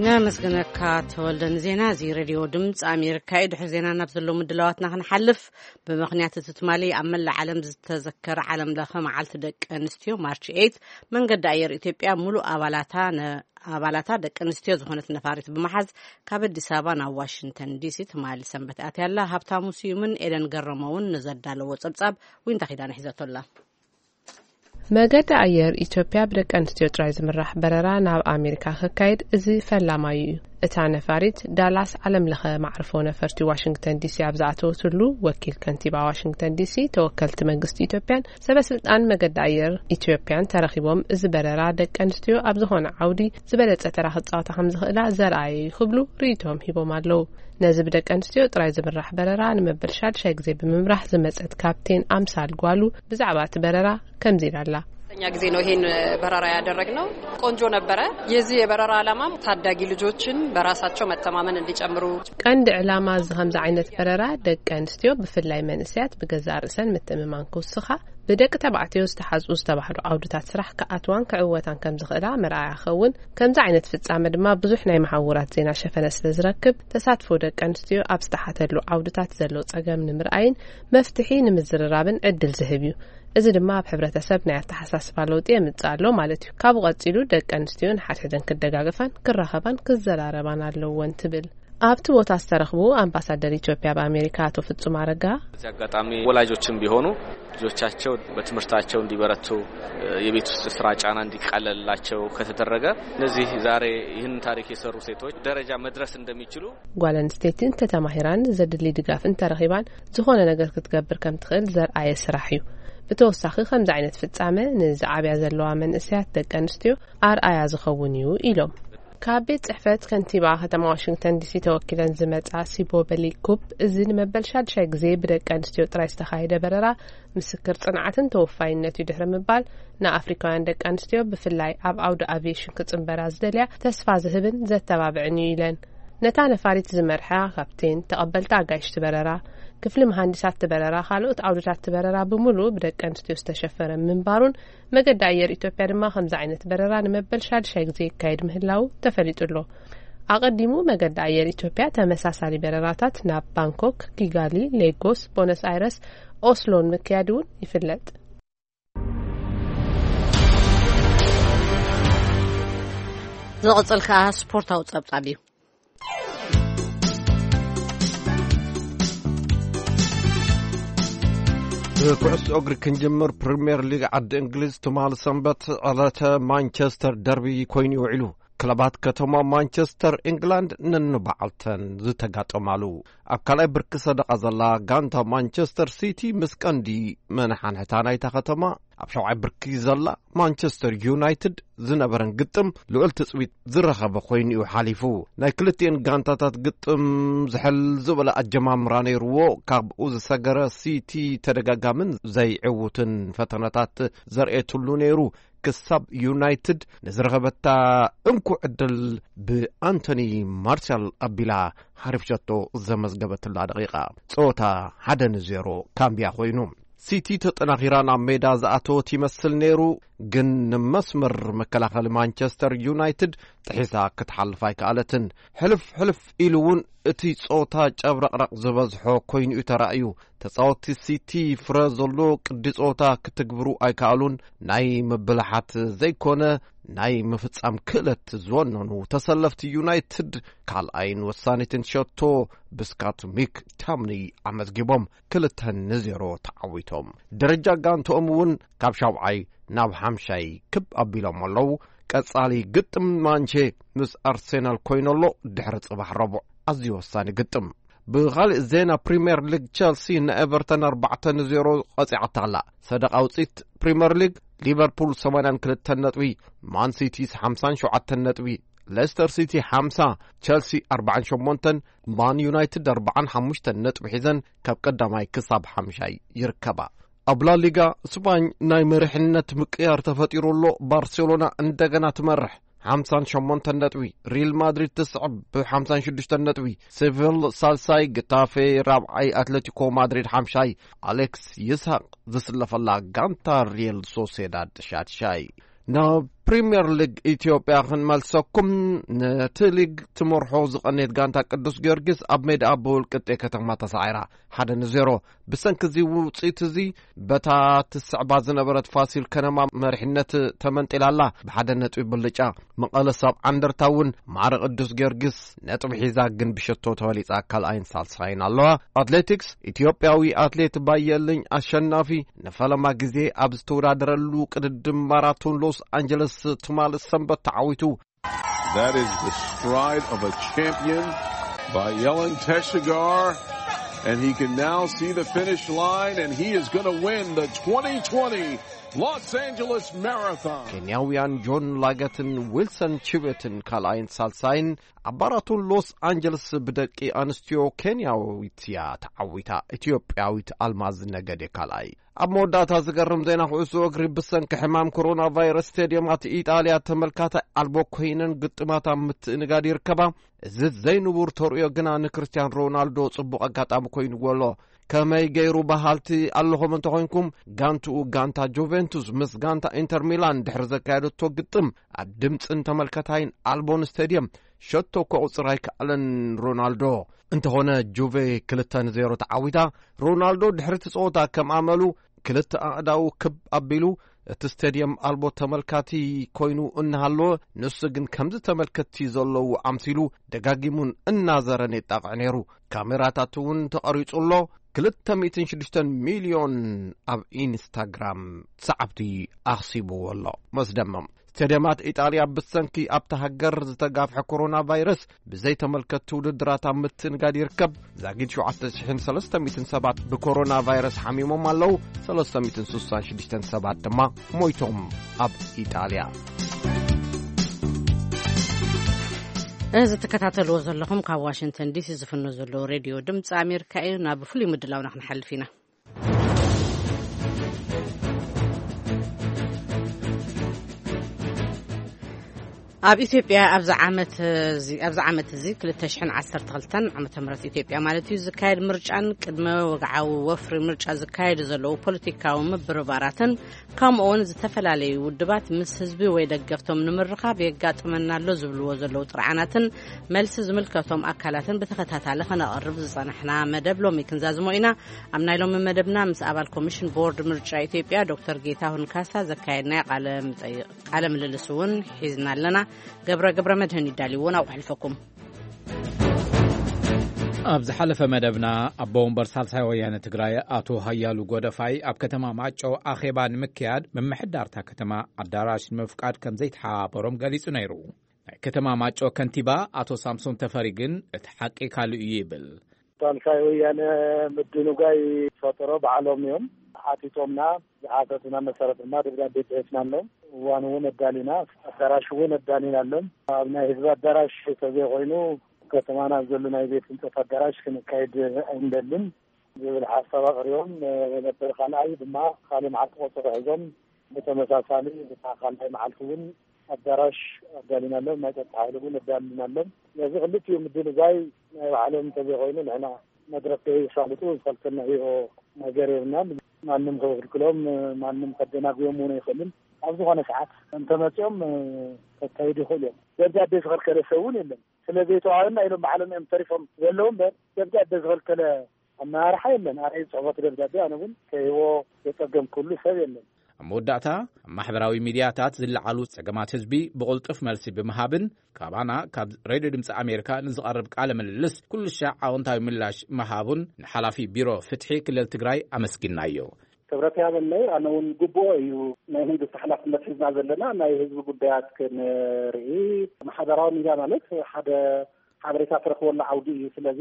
ነመስግነካ ተወልደ ንዜና እዚ። ሬድዮ ድምፂ ኣሜሪካ እዩ። ድሕሪ ዜና ናብ ዘለዉ ምድላዋትና ክንሓልፍ፣ ብምኽንያት እቲ ትማሊ ኣብ መላእ ዓለም ዝተዘከረ ዓለም ለኸ መዓልቲ ደቂ ኣንስትዮ ማርች ኤይት መንገዲ ኣየር ኢትዮጵያ ሙሉእ ኣባላታ ነ- ኣባላታ ደቂ ኣንስትዮ ዝኾነት ነፋሪት ብምሓዝ ካብ ኣዲስ ኣበባ ናብ ዋሽንግተን ዲሲ ትማሊ ሰንበት ኣትያ ኣላ። ሃብታሙ ስዩምን ኤደን ገረመውን ንዘዳለዎ ጸብጻብ ዊንታ ኪዳነ ሒዘቶ ኣላ። መገዲ ኣየር ኢትዮጵያ ብደቂ ኣንስትዮ ጥራይ ዝምራሕ በረራ ናብ ኣሜሪካ ክካየድ እዚ ፈላማዩ እዩ። እታ ነፋሪት ዳላስ ዓለም ለኸ ማዕርፎ ነፈርቲ ዋሽንግተን ዲሲ ኣብ ዝኣተወትሉ፣ ወኪል ከንቲባ ዋሽንግተን ዲሲ፣ ተወከልቲ መንግስቲ ኢትዮጵያን ሰበ ስልጣን መገዲ ኣየር ኢትዮጵያን ተረኺቦም፣ እዚ በረራ ደቂ ኣንስትዮ ኣብ ዝኾነ ዓውዲ ዝበለጸ ተራ ክጻወታ ከም ዝኽእላ ዘርኣየ እዩ ክብሉ ርእይቶም ሂቦም ኣለዉ። ነዚ ብደቂ ኣንስትዮ ጥራይ ዝምራሕ በረራ ንመበል ሻድሻይ ግዜ ብምምራሕ ዝመጸት ካፕቴን ኣምሳል ጓሉ ብዛዕባ እቲ በረራ ከምዚ ኢላ ኣላ። ሶስተኛ ጊዜ ነው ይሄን በረራ ያደረግነው። ቆንጆ ነበረ። የዚህ የበረራ ዓላማም ታዳጊ ልጆችን በራሳቸው መተማመን እንዲጨምሩ። ቀንዲ ዕላማ እዚ ከምዚ ዓይነት በረራ ደቂ ኣንስትዮ ብፍላይ መንእሰያት ብገዛእ ርእሰን ምትእምማን ክውስኻ፣ ብደቂ ተባዕትዮ ዝተሓዝኡ ዝተባህሉ ዓውድታት ስራሕ ክኣትዋን ክዕወታን ከም ዝኽእላ መርኣያ ኸውን። ከምዚ ዓይነት ፍጻመ ድማ ብዙሕ ናይ መሓውራት ዜና ሸፈነ ስለ ዝረክብ፣ ተሳትፎ ደቂ ኣንስትዮ ኣብ ዝተሓተሉ ዓውድታት ዘሎ ጸገም ንምርኣይን መፍትሒ ንምዝርራብን ዕድል ዝህብ እዩ። እዚ ድማ ኣብ ሕብረተሰብ ናይ ኣተሓሳስባ ለውጢ የምጽእ ኣሎ ማለት እዩ። ካብኡ ቀጺሉ ደቂ ኣንስትዮ ንሓድሕደን ክደጋገፋን ክራኸባን ክዘራረባን ኣለወን ትብል። ኣብቲ ቦታ ዝተረኽቡ ኣምባሳደር ኢትዮጵያ ኣብ ኣሜሪካ ኣቶ ፍጹም ኣረጋ፣ በዚህ አጋጣሚ ወላጆችም ቢሆኑ ልጆቻቸው በትምህርታቸው እንዲበረቱ፣ የቤት ውስጥ ስራ ጫና እንዲቃለልላቸው ከተደረገ፣ እነዚህ ዛሬ ይህን ታሪክ የሰሩ ሴቶች ደረጃ መድረስ እንደሚችሉ። ጓል ኣንስተይቲ እንተተማሂራን ዘድሊ ድጋፍ እንተረኺባን ዝኾነ ነገር ክትገብር ከም ትኽእል ዘርኣየ ስራሕ እዩ። ብተወሳኺ ከምዚ ዓይነት ፍጻመ ንዝዓብያ ዘለዋ መንእሰያት ደቂ ኣንስትዮ ኣርኣያ ዝኸውን እዩ ኢሎም። ካብ ቤት ጽሕፈት ከንቲባ ከተማ ዋሽንግተን ዲሲ ተወኪለን ዝመጻ ሲቦ በሊኩፕ፣ እዚ ንመበል ሻድሻይ ግዜ ብደቂ ኣንስትዮ ጥራይ ዝተኻየደ በረራ ምስክር ጽንዓትን ተወፋይነት እዩ ድሕሪ ምባል፣ ንኣፍሪካውያን ደቂ ኣንስትዮ ብፍላይ ኣብ ዓውዲ ኣቪዬሽን ክጽንበራ ዝደልያ ተስፋ ዝህብን ዘተባብዕን እዩ ኢለን። ነታ ነፋሪት ዝመርሓ ካፕቴን፣ ተቐበልቲ ኣጋይሽቲ በረራ፣ ክፍሊ መሃንዲሳት በረራ፣ ካልኦት ዓውድታት በረራ ብምሉእ ብደቂ ኣንስትዮ ዝተሸፈነ ምንባሩን መገዲ ኣየር ኢትዮጵያ ድማ ከምዚ ዓይነት በረራ ንመበል ሻድሻይ ግዜ ይካየድ ምህላው ተፈሊጡ ኣሎ። ኣቐዲሙ መገዲ ኣየር ኢትዮጵያ ተመሳሳሊ በረራታት ናብ ባንኮክ፣ ኪጋሊ፣ ሌጎስ፣ ቦነስ ኣይረስ፣ ኦስሎን ምክያድ እውን ይፍለጥ። ዝቕጽል ከኣ ስፖርታዊ ጸብጻብ እዩ። ብኩዕሶ እግሪ ክንጅምር፣ ፕሪምየር ሊግ ዓዲ እንግሊዝ ትማሊ ሰንበት ዕለተ ማንቸስተር ደርቢ ኮይኑ ውዒሉ። ክለባት ከተማ ማንቸስተር ኢንግላንድ ነንባዕልተን ዝተጋጠማሉ። ኣብ ካልኣይ ብርኪ ሰደቓ ዘላ ጋንታ ማንቸስተር ሲቲ ምስ ቀንዲ መነሓንሕታ ናይታ ከተማ ኣብ ሻውዓይ ብርኪ ዘላ ማንቸስተር ዩናይትድ ዝነበረን ግጥም ልዑል ትጽቢት ዝረኸበ ኮይኑ እዩ ሓሊፉ። ናይ ክልቲኤን ጋንታታት ግጥም ዝሕል ዝበለ ኣጀማምራ ነይርዎ። ካብኡ ዝሰገረ ሲቲ ተደጋጋምን ዘይዕውትን ፈተነታት ዘርእየትሉ ነይሩ። ክሳብ ዩናይትድ ንዝረኸበታ እንኩ ዕድል ብኣንቶኒ ማርሻል ኣቢላ ሓሪፍ ሸቶ ዘመዝገበትላ ደቂቓ፣ ጸወታ ሓደ ንዜሮ ካምብያ ኮይኑ። ሲቲ ተጠናኺራ ናብ ሜዳ ዝኣተወት ይመስል ነይሩ፣ ግን ንመስመር መከላኸሊ ማንቸስተር ዩናይትድ ጥሒሳ ክትሓልፍ ኣይከኣለትን። ሕልፍ ሕልፍ ኢሉ እውን እቲ ጸወታ ጨብረቕረቕ ዝበዝሖ ኮይኑ እዩ ተራእዩ። ተጻወትቲ ሲቲ ፍረ ዘሎ ቅዲ ጸወታ ክትግብሩ ኣይከኣሉን። ናይ ምብልሓት ዘይኮነ ናይ ምፍጻም ክእለት ዝወነኑ ተሰለፍቲ ዩናይትድ ካልኣይን ወሳኒትን ሸቶ ብስካት ሚክ ታምኒ ኣመዝጊቦም ክልተ ንዜሮ ተዓዊቶም። ደረጃ ጋንትኦም እውን ካብ ሻውዓይ ናብ ሓምሻይ ክብ ኣቢሎም ኣለዉ። ቀጻሊ ግጥም ማንቼ ምስ ኣርሴናል ኮይኑ ኣሎ ድሕሪ ጽባሕ ረቡዕ ኣዝዩ ወሳኒ ግጥም። ብኻልእ ዜና ፕሪምየር ሊግ ቸልሲ ንኤቨርተን ኣርባዕተ ንዜሮ ቀጺዓታ ኣላ። ሰደቓ ውጽኢት ፕሪምየር ሊግ ሊቨርፑል ሰማንያን ክልተን ነጥቢ፣ ማን ሲቲ ሓምሳን ሸውዓተን ነጥቢ፣ ሌስተር ሲቲ ሓምሳ፣ ቸልሲ ኣርባዓን ሸሞንተን፣ ማን ዩናይትድ ኣርባዓን ሓሙሽተን ነጥቢ ሒዘን ካብ ቀዳማይ ክሳብ ሓምሻይ ይርከባ። ኣብ ላሊጋ ስፓኝ ናይ መሪሕነት ምቅያር ተፈጢሩ ኣሎ። ባርሴሎና እንደገና ትመርሕ ሓምሳን ሸሞንተን ነጥቢ፣ ሪል ማድሪድ ትስዕብ ብሓምሳን ሽዱሽተን ነጥቢ፣ ሴቪል ሳልሳይ፣ ግታፌ ራብዓይ፣ ኣትሌቲኮ ማድሪድ ሓምሻይ፣ ኣሌክስ ይስሐቅ ዝስለፈላ ጋንታ ሪል ሶሴዳድ ሻድሻይ። ናብ ፕሪምየር ሊግ ኢትዮጵያ ክንመልሰኩም። ነቲ ሊግ ትመርሖ ዝቐነየት ጋንታ ቅዱስ ጊዮርጊስ ኣብ ሜዳ ብውልቅጤ ከተማ ተሳዒራ ሓደ ንዜሮ። ብሰንኪ እዚ ውጽኢት እዚ በታ ትስዕባ ዝነበረት ፋሲል ከነማ መሪሕነት ተመንጢላ ኣላ ብሓደ ነጥቢ ብልጫ። መቐለ ሰብ ዓንደርታ እውን ማዕረ ቅዱስ ጊዮርጊስ ነጥቢ ሒዛ ግን ብሸቶ ተበሊጻ ካልኣይን ሳልሳይን ኣለዋ። ኣትሌቲክስ ኢትዮጵያዊ ኣትሌት ባየልኝ ኣሸናፊ ንፈለማ ግዜ ኣብ ዝተወዳደረሉ ቅድድም ማራቶን ሎስ ኣንጀለስ ትማሊ ሰንበት ተዓዊቱ። That is the stride of a champion by Yelen Teshagar. And he can now see the finish line, and he is going to win the twenty twenty Los Angeles Marathon. ኬንያውያን ጆን ላገትን ዊልሰን ቺቤትን ካልኣይን ሳልሳይን ኣብ ማራቶን ሎስ ኣንጀለስ ብደቂ ኣንስትዮ ኬንያዊት እያ ተዓዊታ። ኢትዮጵያዊት ኣልማዝ ነገዴ ካልኣይ። ኣብ መወዳእታ ዝገርም ዜና ኩዕሶ እግሪ፣ ብሰንኪ ሕማም ኮሮና ቫይረስ ስቴድየማት ኢጣልያ ተመልካታይ ኣልቦ ኮይነን ግጥማት ኣብ ምትእንጋድ ይርከባ። እዚ ዘይንቡር ተርእዮ ግና ንክርስቲያን ሮናልዶ ጽቡቕ ኣጋጣሚ ኮይንዎ ኣሎ። ከመይ ገይሩ በሃልቲ ኣለኹም እንተኾይንኩም፣ ጋንትኡ ጋንታ ጁቬንቱስ ምስ ጋንታ ኢንተር ሚላን ድሕሪ ዘካየደቶ ግጥም ኣብ ድምጽን ተመልከታይን ኣልቦን ስቴድየም ሸቶ ከቑጽር ኣይከኣለን ሮናልዶ። እንተኾነ ጁቬ ክልተ ንዜሮ ተዓዊታ። ሮናልዶ ድሕሪ እቲ ጸወታ ከም ኣመሉ ክልተ ኣእዳዉ ክብ ኣቢሉ እቲ ስቴድየም ኣልቦ ተመልካቲ ኮይኑ እናሃለወ፣ ንሱ ግን ከምዚ ተመልከትቲ ዘለዉ ኣምሲሉ ደጋጊሙን እናዘረን የጣቕዕ ነይሩ። ካሜራታት እውን ተቐሪጹ ኣሎ። ክልተ ሚእትን ሽዱሽተን ሚልዮን ኣብ ኢንስታግራም ሰዓብቲ ኣኽሲብዎ ኣሎ። መስደመም። ስቴድየማት ኢጣልያ ብሰንኪ ኣብታ ሃገር ዝተጋፍሐ ኮሮና ቫይረስ ብዘይተመልከትቲ ውድድራት ኣብ ምትእንጋድ ይርከብ። ዛጊድ ሸውዓተ ሽሕን ሰለስተ ሚእትን ሰባት ብኮሮና ቫይረስ ሓሚሞም ኣለዉ። ሰለስተ ሚእትን ስሳን ሽዱሽተን ሰባት ድማ ሞይቶም ኣብ ኢጣልያ። እዚ ትከታተልዎ ዘለኹም ካብ ዋሽንግተን ዲሲ ዝፍኖ ዘሎ ሬድዮ ድምፂ ኣሜሪካ እዩ። ናብ ፍሉይ ምድላውና ክንሓልፍ ኢና። ኣብ ኢትዮጵያ ኣብዚ ዓመት እዚ፣ ኣብዚ ዓመት እዚ ክልተ ሽሕን ዓሰርተ ክልተን ዓመተ ምህረት ኢትዮጵያ ማለት እዩ፣ ዝካየድ ምርጫን ቅድመ ወግዓዊ ወፍሪ ምርጫ ዝካየዱ ዘለዉ ፖለቲካዊ ምብርባራትን፣ ከምኡ እውን ዝተፈላለዩ ውድባት ምስ ህዝቢ ወይ ደገፍቶም ንምርኻብ የጋጥመና ኣሎ ዝብልዎ ዘለዉ ጥርዓናትን መልሲ ዝምልከቶም ኣካላትን ብተኸታታሊ ከነቕርብ ዝጸናሕና መደብ ሎሚ ክንዛዝሞ ኢና። ኣብ ናይ ሎሚ መደብና ምስ ኣባል ኮሚሽን ቦርድ ምርጫ ኢትዮጵያ ዶክተር ጌታሁን ካሳ ዘካየድናዮ ቃለ ምጠይቕ፣ ቃለ ምልልስ እውን ሒዝና ኣለና። ገብረ፣ ገብረ መድህን ይዳልይዎ፣ ናብኡ ከሕልፈኩም። ኣብ ዝሓለፈ መደብና፣ ኣቦ ወንበር ሳልሳይ ወያነ ትግራይ ኣቶ ሃያሉ ጎደፋይ ኣብ ከተማ ማይጨው ኣኼባ ንምክያድ ምምሕዳርታ ከተማ ኣዳራሽ ንምፍቃድ ከም ዘይተሓባበሮም ገሊጹ ነይሩ። ናይ ከተማ ማይጨው ከንቲባ ኣቶ ሳምሶን ተፈሪ ግን እቲ ሓቂ ካልእ እዩ ይብል። ሳልሳይ ወያነ ምድንጓይ ፈጠሮ ባዕሎም እዮም ሓቲቶምና። ዝሓተቱና መሰረት ድማ ደብዳቤ ጽሒፍናሎም። እዋን እውን ኣዳሊና፣ ኣዳራሽ እውን ኣዳሊናሎም። ኣብ ናይ ህዝቢ ኣዳራሽ ተዘይኮይኑ፣ ከተማና ኣብ ዘሎ ናይ ቤት ህንፀት ኣዳራሽ ክንካይድ ኣይንደልን ዝብል ሓሳብ ኣቕሪቦም ነበር። ካልኣይ ድማ ካልእ መዓልቲ ቆፀሮ ሒዞም ብተመሳሳሊ፣ ብታ ካልኣይ መዓልቲ እውን ኣዳራሽ ኣዳሊናሎም፣ ናይ ጸጥታ ሓይሊ እውን ኣዳሊናሎም። ስለዚ ክልቲኡ ምድንጓይ ናይ ባዕሎም እንተዘይኮይኑ፣ ንሕና መድረክ ከይሳልጡ ዝኸልከልናዮ ነገር የብልናን። ማንም ከይክልክሎም፣ ማንም ከደናጉዮም እውን ኣይኽእልን። ኣብ ዝኾነ ሰዓት እንተመጺኦም ከካይዱ ይኽእሉ እዮም። ደብዳቤ ዝኸልከለ ሰብ እውን የለን። ስለ ዘይተዋሃበና ኢሎም ባዕሎም እዮም ተሪፎም ዘለዉ እምበር፣ ደብዳቤ ዝኸልከለ ኣመራርሓ የለን። ኣነ ጽሕፈት ደብዳቤ ኣነ እውን ከይህቦ ዘጸገምኩሉ ሰብ የለን። ኣብ መወዳእታ፣ ኣብ ማሕበራዊ ሚድያታት ዝለዓሉ ጸገማት ህዝቢ ብቕልጡፍ መልሲ ብምሃብን ካባና ካብ ሬድዮ ድምፂ ኣሜሪካ ንዝቐርብ ቃለ ምልልስ ኩሉ ሻዕ ኣወንታዊ ምላሽ ምሃቡን ንሓላፊ ቢሮ ፍትሒ ክልል ትግራይ ኣመስጊናዮ። ክብረት ያበለይ። ኣነ እውን ግቡኦ እዩ። ናይ መንግስቲ ሓላፍነት ሒዝና ዘለና ናይ ህዝቢ ጉዳያት ክንርኢ፣ ማሕበራዊ ሚድያ ማለት ሓደ ሓበሬታ ትረኽበሉ ዓውዲ እዩ። ስለዚ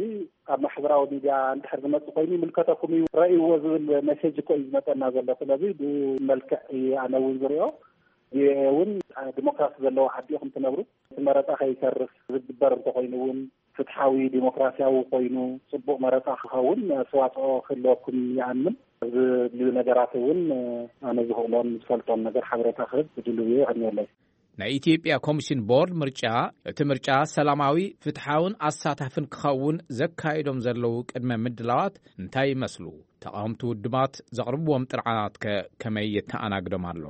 ኣብ ማሕበራዊ ሚድያ እንድሕር ዝመጽእ ኮይኑ ይምልከተኩም እዩ፣ ረእይዎ ዝብል ሜሴጅ እኮ እዩ ዝመጸና ዘሎ። ስለዚ ብመልክዕ እዩ ኣነ እውን ዝሪኦ። ቪኦኤ እውን ዲሞክራሲ ዘለዎ ዓዲ ኢኹም ትነብሩ። እቲ መረጻ ከይተርፍ ዝግበር እንተኮይኑ እውን ፍትሓዊ ዲሞክራሲያዊ ኮይኑ ጽቡቕ መረጻ ክኸውን ኣስተዋጽኦ ክህልወኩም ይኣምን። ኣብዚ ዝድልዩ ነገራት እውን ኣነ ዝኽእሎን ዝፈልጦን ነገር ሓበሬታ ክህብ ድልው እየ። የቐንየለይ። ናይ ኢትዮጵያ ኮሚሽን ቦርድ ምርጫ፣ እቲ ምርጫ ሰላማዊ፣ ፍትሓውን ኣሳታፍን ክኸውን ዘካይዶም ዘለዉ ቅድመ ምድላዋት እንታይ ይመስሉ? ተቓወምቲ ውድባት ዘቕርብዎም ጥርዓናት ከ ከመይ የተኣናግዶም ኣሎ?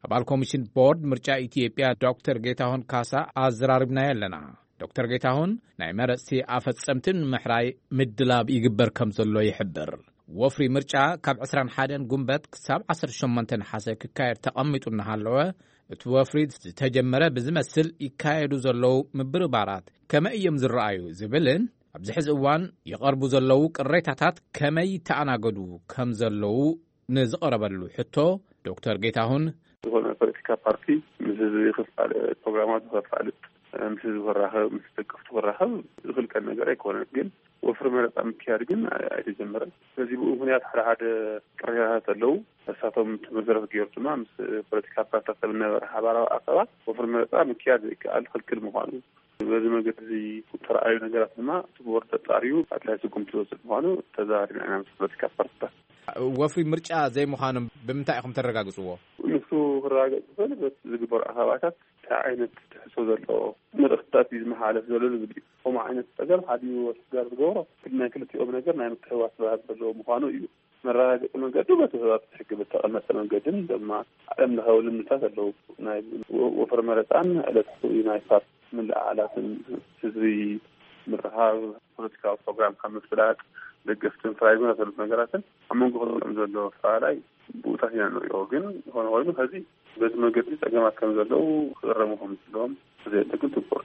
ኣባል ኮሚሽን ቦርድ ምርጫ ኢትዮጵያ ዶክተር ጌታሁን ካሳ ኣዘራሪብናዮ ኣለና። ዶክተር ጌታሁን ናይ መረፅቲ ኣፈፀምትን ምሕራይ ምድላብ ይግበር ከም ዘሎ ይሕብር። ወፍሪ ምርጫ ካብ ዕስራን ሓደን ጉንበት ክሳብ ዓሰርተ ሸሞንተ ነሓሰ ክካየድ ተቐሚጡ እናሃለወ፣ እቲ ወፍሪ ዝተጀመረ ብዝመስል ይካየዱ ዘለዉ ምብርባራት ከመይ እዮም ዝረኣዩ ዝብልን ኣብዚ ሕዚ እዋን ይቐርቡ ዘለዉ ቅሬታታት ከመይ ይተኣናገዱ ከም ዘለዉ ንዝቐረበሉ ሕቶ ዶክተር ጌታሁን፣ ዝኾነ ፖለቲካ ፓርቲ ምስ ህዝቢ ክፋል ፕሮግራማቱ ከፋልጥ፣ ምስ ህዝቢ ክራኸብ፣ ምስ ደገፍቱ ክራኸብ ዝኽልከል ነገር ኣይኮነን። ግን ወፍሪ መረፃ ምክያድ ግን ኣይተጀመረን። በዚ ብኡ ምክንያት ሓደ ሓደ ቅሬታታት ኣለዉ። እሳቶም እቲ መሰረት ገይሩ ድማ ምስ ፖለቲካ ፓርቲታት ኣብ ዝነበረ ሓባራዊ ኣኼባ ወፍሪ መረፃ ምክያድ ዘይከኣል ክልክል ምዃኑ፣ በዚ መገዲ እዚ ዝተረኣዩ ነገራት ድማ እቲ ቦርድ ኣጣርዩ ኣድላይ ስጉምቲ ዝወስድ ምዃኑ ተዘራሪብና ኢና ምስ ፖለቲካ ፓርቲታት። ወፍሪ ምርጫ ዘይምዃኖም ብምንታይ ኢኹም ተረጋግፅዎ? ንሱ ክረጋገፅ ዝኽእል በቲ ዝግበሩ ኣኼባታት እንታይ ዓይነት ትሕዝቶ ዘለዎ መልእኽትታት እዩ ዝመሓላለፍ ዘሎ ዝብል እዩ። ከምኡ ዓይነት ፀገም ሓዲኡ ኣስጋር ዝገብሮ ናይ ክልቲኦም ነገር ናይ ምትሕውዋስ ባህሪ ዘለዎ ምዃኑ እዩ። መረጋገፂ መንገዱ በቲ ኣብ ሕጊ ብተቐመጠ መንገድን ድማ ዓለም ለኻዊ ልምድታት ኣለዉ። ናይ ወ- ወፍሪ መረፃን ዕለታዊ ናይ ፓርቲ ምልዕዓላትን ህዝቢ ምርኻብ፣ ፖለቲካዊ ፕሮግራምካ ምፍላጥ፣ ደገፍትን ፍራይ ዝመሳሰሉት ነገራትን ኣብ መንጎ ክልቲኦም ዘሎ ኣፈላላይ ብኡታት ኢና ንሪኦ። ግን ዝኾነ ኮይኑ ከዚ በዚ መገዲ ፀገማት ከም ዘለዉ ክእረሙ ከም ዘለዎም ዘየጠቅም ትኩር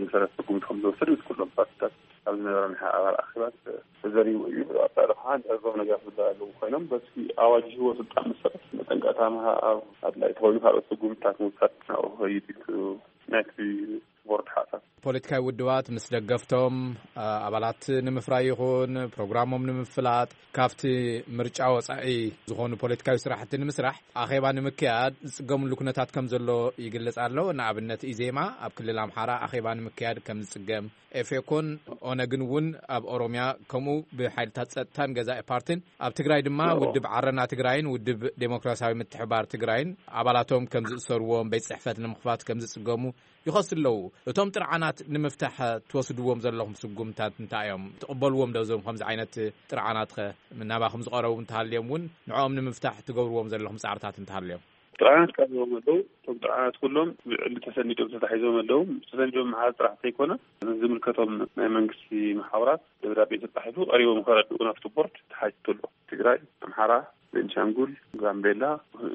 መሰረት ስጉምቲ ከም ዝወሰድ ምስ ኩሎም ፓርቲታት ኣብ ዝነበረ ናይ ሓባር ኣኼባት ተዘሪቡ እዩ። ኣጻሪ ከዓ ንዕዞም ነገራት ዝብሃል ኣለዉ ኮይኖም በቲ ኣዋጅ ህቦ ስልጣን መሰረት መጠንቀቕታ ምሃብ ኣድላይ ተኮይኑ ካልኦት ስጉምትታት ምውሳድ ናብኡ ክኸይድ እዩ ናይቲ ቦርድ ሓሳብ። ፖለቲካዊ ውድባት ምስ ደገፍቶም ኣባላት ንምፍራይ ይኹን ፕሮግራሞም ንምፍላጥ ካብቲ ምርጫ ወፃኢ ዝኾኑ ፖለቲካዊ ስራሕቲ ንምስራሕ ኣኼባ ንምክያድ ዝፅገምሉ ኩነታት ከም ዘሎ ይግለጽ ኣሎ። ንኣብነት ኢዜማ ኣብ ክልል ኣምሓራ ኣኼባ ንምክያድ ከም ዝፅገም፣ ኤፌኮን ኦነግን እውን ኣብ ኦሮምያ ከምኡ ብሓይልታት ጸጥታን ገዛኢ ፓርቲን፣ ኣብ ትግራይ ድማ ውድብ ዓረና ትግራይን ውድብ ዴሞክራሲያዊ ምትሕባር ትግራይን ኣባላቶም ከም ዝእሰርዎም፣ ቤት ጽሕፈት ንምኽፋት ከም ዝጽገሙ ይኸሱ ኣለዉ። እቶም ጥርዓናት ንምፍታሕ ትወስድዎም ዘለኹም ስጉምታት እንታይ እዮም? ትቕበልዎም ዶ እዞም ከምዚ ዓይነት ጥርዓናት ኸ ናባኹም ዝቐረቡ እንተሃልዮም እውን ንዕኦም ንምፍታሕ ትገብርዎም ዘለኹም ጻዕርታት እንተሃልዮም? ጥርዓናት ቀሪቦም ኣለዉ። እቶም ጥርዓናት ኩሎም ብዕሊ ተሰኒዶም ተታሒዞም ኣለዉ። ተሰኒዶም ምሓዝ ጥራሕ ዘይኮነ ዝምልከቶም ናይ መንግስቲ መሓውራት ደብዳቤ ተጻሒፉ ቀሪቦም ከረድኡ ናብቲ ቦርድ ተሓቲቱ ኣሎ። ትግራይ፣ ኣምሓራ፣ ቤንሻንጉል፣ ጋምቤላ፣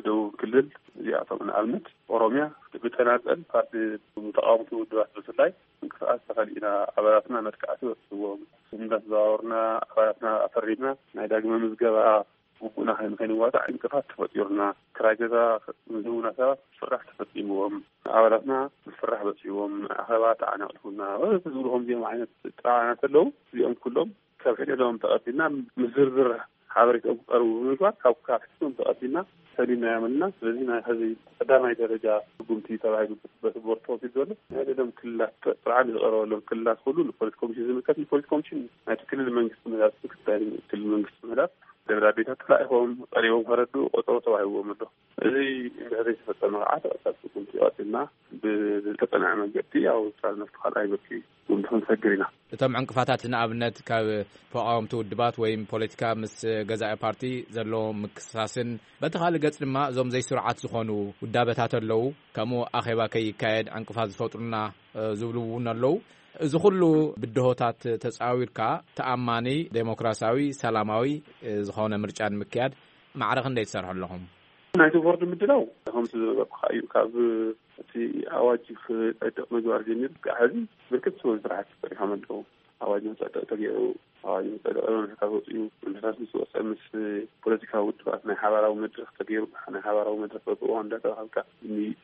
ደቡብ ክልል እዚኣቶም ንኣብነት ኦሮምያ ብተናጸል ፓርቲ ተቃወምቲ ውድባት ብፍላይ ምንቅስቃስ ተኸሊእና ኣባላትና መጥቃዕቲ በጽሕዎም እንዳተዘዋወርና ኣባላትና ኣፈሪምና ናይ ዳግመ ምዝገባ ግቡእና ከይን- ከይንዋጣዕ ዕንቅፋት ተፈጢሩና ክራይ ገዛ ንዝህቡና ሰባት ፍራሕ ተፈጺምዎም ኣባላትና ፍራሕ በጺዎም ኣኸባ ተዓናቂፉና ወዘተ ዝብሉ ከምዚኦም ዓይነት ጥራዓናት ኣለዉ። እዚኦም ኩሎም ካብ ሕደዶም ተቐቢልና ምስ ዝርዝር ሓበሬታኦም ክቐርቡ ብምግባር ካብ ካብ ሕቶም ተቐቢልና ሰሊምናዮም ኣለና። ስለዚ ናይ ሕዚ ቀዳማይ ደረጃ ስጉምቲ ተባሂሉ በቲ ቦርድ ተወሲዱ ዘሎ ናይ ደሎም ክልላት ጥርዓን ዝቐረበሎም ክልላት ኩሉ ንፖሊስ ኮሚሽን ዝምልከት ንፖሊስ ኮሚሽን ናይቲ ክልል መንግስቲ ምህዳት ምክትል ክልል መንግስቲ ምህዳት ደብዳቤታት ተላኢኾም ቀሪቦም ከረዱ ቆፀሮ ተዋሂብዎም ኣሎ። እዚ እንድሕር ዘይተፈፀመ ከዓ ተቐጻሊ ስጉምቲ ቀፂልና ብዝተፀንዐ መንገዲ ኣብ ውሳነ ነፍቲ ካልኣይ ብርኪ ጉምቲ ክንሰግር ኢና። እቶም ዕንቅፋታት ንኣብነት ካብ ተቃወምቲ ውድባት ወይም ፖለቲካ ምስ ገዛኢ ፓርቲ ዘለዎም ምክስሳስን በቲ ካልእ ገጽ ድማ እዞም ዘይስሩዓት ዝኾኑ ውዳበታት ኣለዉ። ከምኡ ኣኼባ ከይካየድ ዕንቅፋት ዝፈጥሩና ዝብሉ እውን ኣለዉ። እዚ ኩሉ ብድሆታት ተጻዊርካ ተኣማኒ ዴሞክራሲያዊ ሰላማዊ ዝኾነ ምርጫ ንምክያድ ማዕረ ክንደይ ትሰርሑ ኣለኹም? ናይቲ ቦርድ ምድላው ከምቲ ዝነበርኩኻ እዩ። ካብ እቲ ኣዋጅ ክጸድቕ ምግባር ጀሚሩ ክሳዕ ሕዚ ብርክት ዝበሉ ስራሕቲ ተሰሪሖም ኣለዉ። ኣዋጅ ንክጸድቕ ተገይሩ ኣዋጅ ንክጸድቕ መምርሕታት ወፅኡ። መምርሕታት ምስ ወፀ ምስ ፖለቲካዊ ውድባት ናይ ሓባራዊ መድረክ ተገይሩ ናይ ሓባራዊ መድረክ በብእዋኑ እንዳተባሃልካ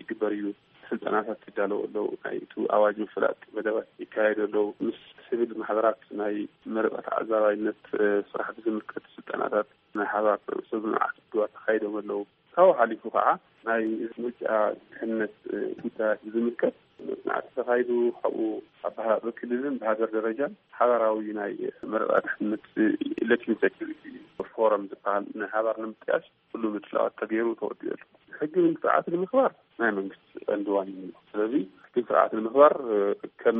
ይግበር እዩ። ስልጠናታት ይዳለዉ ኣለዉ። ናይ እቲ ኣዋጅ ምፍላጥ መደባት ይካየዱ ኣለዉ። ምስ ሲቪል ማሕበራት ናይ መረፃ ተዓዛባይነት ስራሕ ብዝምልከት ስልጠናታት ናይ ሓባር ሰብ ንዓት ድዋ ተካይዶም ኣለዉ። ካብኡ ሓሊፉ ከዓ ናይ ምርጫ ድሕነት ጉዳያት ብዝምልከት መፅናዕቲ ተኻይዱ። ካብኡ ኣብ ክልልን ብሃገር ደረጃን ሓባራዊ ናይ መረፃ ድሕነት ኤሌክሽን ሴኩሪቲ ፎረም ዝበሃል ናይ ሓባር ንምጥያሽ ኩሉ ምድላዋት ተገይሩ ተወዲኡ ኣሎ። ሕጊ ስርዓት ንምኽባር ናይ መንግስቲ ቀንዲ ዋኒን እዩ። ስለዚ ሕጊ ስርዓት ንምኽባር ከም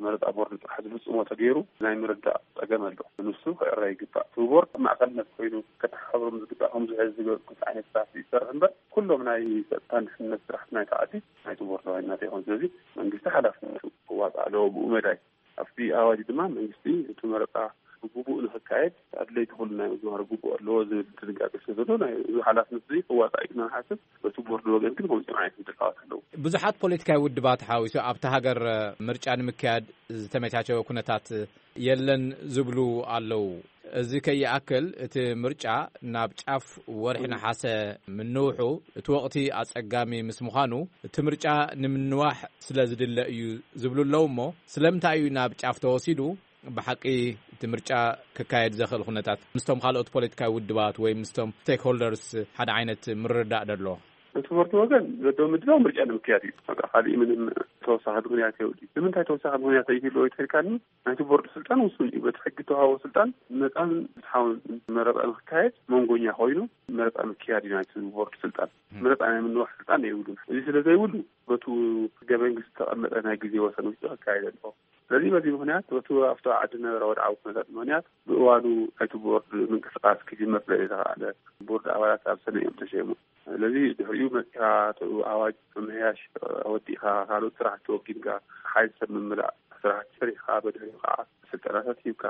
መረፃ ቦርድ ጥራሕ ዝፍፅሞ ተገይሩ ናይ ምርዳእ ፀገም ኣሎ። ንሱ ክዕረ ይግባእ። እቲ ቦርድ ማእኸልነት ኮይኑ ከተሓባብሮም ዝግባእ ከምዚ ሕዚ ዝገበርኩት ዓይነት ስራሕ ይሰርሕ እምበር ኩሎም ናይ ፀጥታን ድሕነት ስራሕቲ ናይቲ ዓዲ ናይቲ ቦርድ ዋኒናት ይኾን። ስለዚ መንግስቲ ሓላፍነቱ ክዋፃእ ኣለዎ ብኡ መዳይ ኣብቲ ኣዋጅ ድማ መንግስቲ እቲ መረፃ ብግቡእ ንክካየድ ኣድለይቲ ኩሉ ናይ ምግባር ግቡእ ኣለዎ ዝብል ድንጋገ ስለ ዘሎ ናይ እዚ ሓላፍነት እዚ ክዋፃእ እዩ ክና ንሓስብ። በቲ ቦርድ ወገን ግን ከምዚኦም ዓይነት ምድላዋት ኣለዉ። ብዙሓት ፖለቲካዊ ውድባት ሓዊሱ ኣብቲ ሃገር ምርጫ ንምክያድ ዝተመቻቸወ ኩነታት የለን ዝብሉ ኣለዉ። እዚ ከይኣክል እቲ ምርጫ ናብ ጫፍ ወርሒ ነሓሰ ምንውሑ፣ እቲ ወቕቲ ኣጸጋሚ ምስ ምዃኑ፣ እቲ ምርጫ ንምንዋሕ ስለ ዝድለ እዩ ዝብሉ ኣለዉ። እሞ ስለምንታይ እዩ ናብ ጫፍ ተወሲዱ? ብሓቂ እቲ ምርጫ ክካየድ ዘኽእል ኩነታት ምስቶም ካልኦት ፖለቲካዊ ውድባት ወይ ምስቶም ስቴክሆልደርስ ሓደ ዓይነት ምርዳእ ደሎ? እቲ ቦርድ ወገን ዘለዎ ምድላው ምርጫ ንምክያድ እዩ። በቃ፣ ካሊእ ምንም ተወሳኺ ምኽንያት የብሉ። ንምንታይ ተወሳኺ ምኽንያት ይህልዎ ይተልካኒ? ናይቲ ቦርድ ስልጣን ውሱን እዩ። በቲ ሕጊ ተዋህቦ ስልጣን ነፃን ፍትሓውን መረፃ ንክካየድ መንጎኛ ኮይኑ መረፃ ምክያድ እዩ ናይቲ ቦርድ ስልጣን። መረፃ ናይ ምንዋሕ ስልጣን የብሉን። እዚ ስለ ዘይብሉ፣ በቱ ህገ መንግስቲ ዝተቐመጠ ናይ ግዜ ወሰን ውሽጢ ክካየድ ኣለዎ። ስለዚ በዚ ምኽንያት በቱ ኣብቲ ዓዲ ነበረ ወድዓዊ ኩነታት ምኽንያት ብእዋኑ ናይቲ ቦርድ ምንቅስቃስ ክጅመር ስለ ዘይተኻእለ፣ ቦርድ ኣባላት ኣብ ሰነ እዮም ተሸይሙ። ስለዚ ድሕሪኡ መፂኻ፣ እቲ ኣዋጅ ምምሕያሽ ወዲእኻ፣ ካልኦት ስራሕቲ ወጊንካ፣ ሓይል ሰብ ምምላእ ስራሕቲ ሰሪሕካ፣ በድሕሪኡ ከዓ ስልጠናታት ሂብካ፣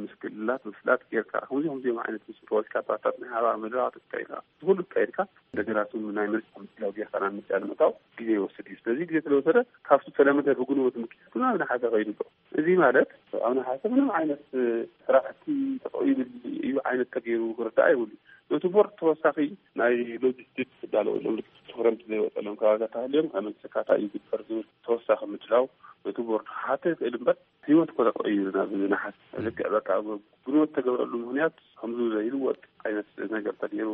ምስ ክልላት ምፍላጥ ጌርካ፣ ከምዚ ከምዚኦም ዓይነት ምስ ፖለቲካ ፓርቲታት ናይ ሓባር መድረኻት ኣካይድካ፣ እዚ ኩሉ ኣካይድካ፣ እንደገና እቶም ናይ ምርጫ ምድላው ጌርካ ናብ ምርጫ ንምእታው ግዜ ይወስድ እዩ። ስለዚ ግዜ ስለወሰደ፣ ካብቲ ተለመደ ብጉንበት ምክያዱ ናብ ነሓሰ ከይዱ ኣሎ። እዚ ማለት ኣብ ነሓሰ ምንም ዓይነት ስራሕቲ ተጠቒሙ እዩ ዓይነት ተገይሩ ክርዳእ ይብሉ። ነቲ ቦርድ ተወሳኺ ናይ ሎጂስቲክስ ክዳለወሎም፣ ትኽረምቲ ዘይወፀሎም ከባቢታት ተሃልዮም ከመይ ሰካታ ይግበር ዝብል ተወሳኺ ምድላው ነቲ ቦርድ ክሓተ ይኽእል እምበር፣ ህይወት እኮ ተቐይሩ ናብ ዝነሓስ ልክዕ በቃ ብንወት ተገብረሉ ምኽንያት ከምዚ ዘይልወጥ ዓይነት ነገር ተገይሩ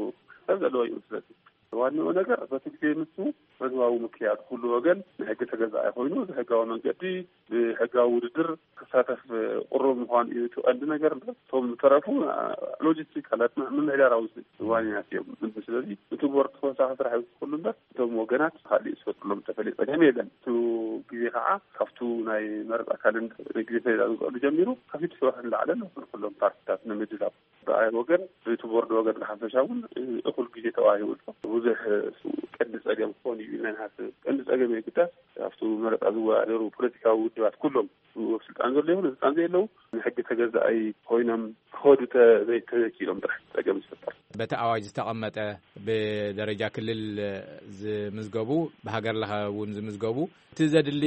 ሰብ ዘለዎ ይመስለኒ። ዋናው ነገር በቲ ግዜ ንሱ መግባዊ ምክያድ፣ ኩሉ ወገን ንሕጊ ተገዛኢ ኮይኑ ብሕጋዊ መንገዲ ብሕጋዊ ውድድር ክሳተፍ ቅሩብ ምዃኑ እዩ እቲ ቀንዲ ነገር እምበር፣ እቶም ዝተረፉ ሎጂስቲክ ኣላት ምምሕዳራዊ ዋንያት እዮም። ስለዚ እቲ ቦርድ ተወሳኺ ስራሕ ይውስኸሉ እምበር፣ እቶም ወገናት ካልእ ዝፈጥሩሎም ዝተፈለየ ጸገም የለን። እቲ ግዜ ከዓ ካብቱ ናይ መረጻ ካልንደር ግዜ ሰሌዳ ዝውዕሉ ጀሚሩ ካብ ሽዱሽተ ወርሒ ንላዕሊ ኣሎ። ኩሎም ፓርቲታት ንምድላው ብኣይ ወገን፣ እቲ ቦርድ ወገን ብሓፈሻ እውን እኹል ግዜ ተዋሂቡ ኣሎ። ብዙሕ ቀንዲ ጸገም ክኾን እዩ ኢልና ንሓስብ። ቀንዲ ጸገም የግዳስ ኣብቱ መረጻ ዝወዳደሩ ፖለቲካዊ ውድባት ኩሎም፣ ስልጣን ዘሎ ይኹን ስልጣን ዘየለው፣ ንሕጊ ተገዛኣይ ኮይኖም ክኸዱ ተ-፣ ዘይተዘኪሎም ጥራሕ ጸገም ዝፈጠር። በቲ ኣዋጅ ዝተቐመጠ ብደረጃ ክልል ዝምዝገቡ፣ ብሃገር ለኸ እውን ዝምዝገቡ፣ እቲ ዘድሊ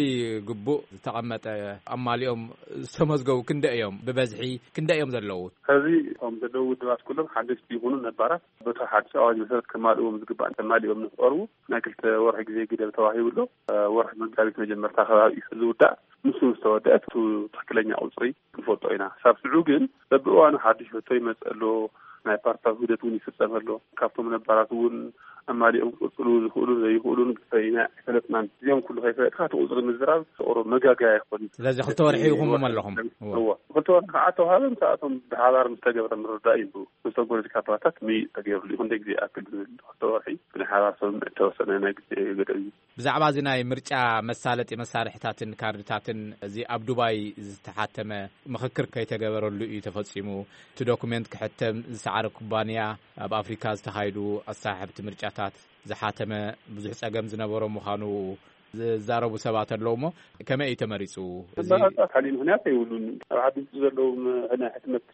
ግቡእ ዝተቐመጠ ኣማሊኦም ዝተመዝገቡ ክንደ እዮም? ብበዝሒ ክንደ እዮም ዘለዉ? ሕዚ እቶም ዘለዉ ውድባት ኩሎም ሓደሽቲ ይኹኑ ነባራት በቲ ሓድሽ ኣዋጅ መሰረት ከማልእዎም ዝግባእ ተማሊኦም ንክቐርቡ ናይ ክልተ ወርሒ ግዜ ግደብ ተዋሂቡ ኣሎ። ወርሒ መጋቢት መጀመርታ ከባቢ እዩ ዝውዳእ። ንሱ ምስ ተወደአ፣ እቲ ትኽክለኛ ቁጽሪ ክንፈልጦ ኢና። ሳብ ሽዑ ግን በብእዋኑ ሓድሽ ሕቶ ይመጽእ ኣሎ። ናይ ፓርቲታት ውህደት እውን ይፍጸም ኣሎ። ካብቶም ነባራት እውን ኣማሊኦም ክቕጽሉ ዝኽእሉን ዘይኽእሉን ብፈይና ኣይፈለጥናን። እዚኦም ኩሉ ከይፈለጥካ እቲ ቁጽሪ ምዝራብ ተቕሮ መጋገያ ይኾን። ስለዚ ክልተ ወርሒ ኢኹም ኣለኹም። እዎ። እዎ። ክልተ ወርሒ ከዓ ተዋሃበ፣ ምስኣቶም ብሓባር ምስ ተገብረ ምርዳእ እዩ። ምስቶም ፖለቲካ ፓርቲታት ምይይጥ ተገይሩሉ ይኹን፣ ደግ ዘይኣክል ዝብል ክልተ ወርሒ ብናይ ሓባር ስምምዕ እተወሰነ ናይ ግዜ ገደብ እዩ። ብዛዕባ እዚ ናይ ምርጫ መሳለጢ መሳርሕታትን ካርድታትን፣ እዚ ኣብ ዱባይ ዝተሓተመ ምኽክር ከይተገበረሉ እዩ ተፈጺሙ። እቲ ዶኩሜንት ክሕተም ዝሰዓረ ኩባንያ፣ ኣብ ኣፍሪካ ዝተኻየዱ ኣሰሓሕብቲ ምርጫታት ዝሓተመ ብዙሕ ጸገም ዝነበሮ ምዃኑ ዝዛረቡ ሰባት ኣለዉ። እሞ ከመይ እዩ ተመሪጹ? እዚ መረጻ ካሊእ ምኽንያት የብሉን። ኣብ ዓዲ ውጭ ዘለዉ ም-፣ ናይ ሕትመት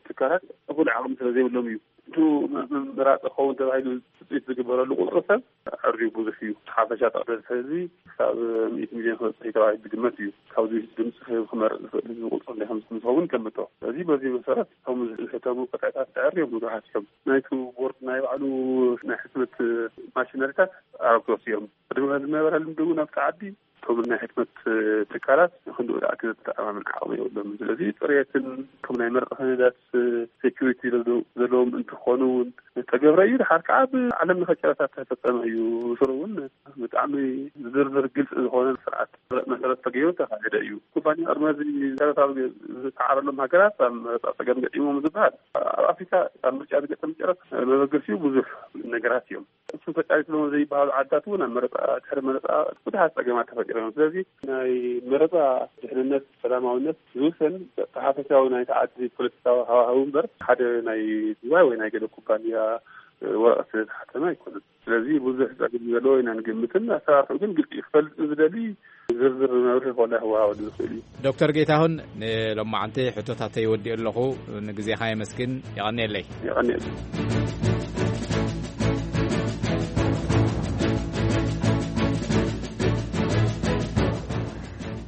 ትካላት እኹል ዓቕሚ ስለ ዘይብሎም እዩ። እቱ ም-፣ ምምራጽ ክኸውን ተባሂሉ ትጽቢት ዝግበረሉ ቁጽሪ ሰብ ኣዕርዩ ብዙሕ እዩ። እቲ ሓፈሻ ጠቕላላ ህዝቢ ክሳብ ሚእቲ ሚልዮን ክበጽሕ እዩ ተባሂሉ ዝግመት እዩ። ካብዚ ውሽጢ ድምፂ ክህብ ክመርጽ ዝኽእል ህዝቢ ቁጽሪ እንደ ከም ዝኸውን ይገምቶ። ስለዚ በዚ መሰረት እቶም ዝሕተሙ ቅጥዕታት ተዕርዮም ብዙሓት እዮም። ናይቲ ቦርድ ናይ ባዕሉ ናይ ሕትመት ማሽነሪታት ኣረግቶት እዮም። ቅድሚ ዝነበረ ልምዲ እውን ኣብቲ ዓዲ እቶም ናይ ሕትመት ትካላት ንክንድኡ ዝኣክል ዘተኣማምን ዓቕሚ የብሎምን። ስለዚ ጽሬትን ከም ናይ መርቂ ሰነዳት ሴኩሪቲ ዘለዎም እንትኾኑ እውን ዝተገብረ እዩ። ድሓር ከዓ ብዓለም ለኸ ጨረታ ዝተፈጸመ እዩ። ስሩ እውን ብጣዕሚ ዝርዝር ግልፂ ዝኾነ ስርዓት መሰረት ተገይሩ ዝተኻየደ እዩ። ኩባንያ ቅድሚ እዚ ጨረታ ዝተዓረሎም ሃገራት ኣብ መረፃ ጸገም ገጢሞም ዝበሃል፣ ኣብ ኣፍሪካ ኣብ ምርጫ ዝገጠም ጨረታ መበገሲኡ ብዙሕ ነገራት እዮም። እሱ ተቃሊስሎም ዘይበሃሉ ዓድታት እውን ኣብ መረፃ፣ ድሕሪ መረፃ ብዙሓት ጸገማት ተፈጢሮም። ስለዚ ናይ መረፃ ድሕንነት፣ ሰላማዊነት ዝውሰን ተሓፈሻዊ ናይቲ ዓዲ ፖለቲካዊ ሃዋህው እምበር ሓደ ናይ ዱባይ ወይ ናይ ገለ ኩባንያ ወረቐት ስለ ዝሓተመ ኣይኮነን። ስለዚ ብዙሕ ጸገም ዘለዎ ኢና ንግምትን ኣሰራርሑ ግን ግልፂ እዩ። ክፈልጥ ዝደሊ ዝርዝር መብርሂ ኮላ ክወሃበሉ ዝኽእል እዩ። ዶክተር ጌታሁን፣ ንሎማዓንቲ ሕቶታተይ ወዲእ ኣለኹ። ንግዜኻ የመስግን። የቐንየለይ። የቐንየለይ።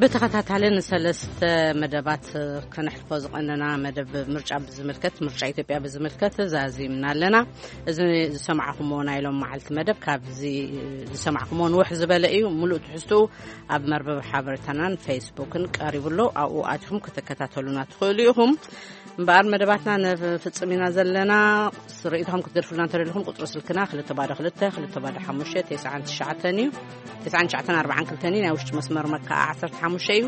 ብተኸታታሊ ንሰለስተ መደባት ከነሕልፎ ዝቐነና መደብ ምርጫ ብዝምልከት፣ ምርጫ ኢትዮጵያ ብዝምልከት ዛዚምና ኣለና። እዚ ዝሰማዕኹምዎ ናይ ሎም መዓልቲ መደብ ካብዚ ዝሰማዕኹምዎ ንውሕ ዝበለ እዩ። ሙሉእ ትሕዝትኡ ኣብ መርበብ ሓበሬታናን ፌስቡክን ቀሪቡ ኣሎ። ኣብኡ ኣቲኹም ክትከታተሉና ትኽእሉ ኢኹም። እምበኣር መደባትና ነፍጽም ኢና ዘለና። ርእይቶኹም ክትገድፉልና እንተደሊኹም ቁጽሪ ስልክና ክልተ ባዶ ክልተ፣ ክልተ ባዶ ሓሙሽተ፣ ተስዓን ትሽዓተን እዩ። ተስዓን ትሽዓተን ኣርባዓን ክልተን እዩ። ናይ ውሽጢ መስመር መከዓ ዓሰርተ ሓሙሽተ እዩ።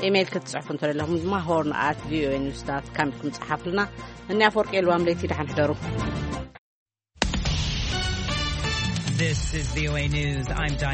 ኢሜይል ክትጽሕፉ እንተደለኹም ድማ ሆርን ኣት ቪኦኤ ኒውስ ዳት ካም ኢልኩም ጸሓፉልና። እኒ ኣፈወርቂ የልዋም ለይቲ ደሓን ሕደሩ። This is VOA News. I'm Diane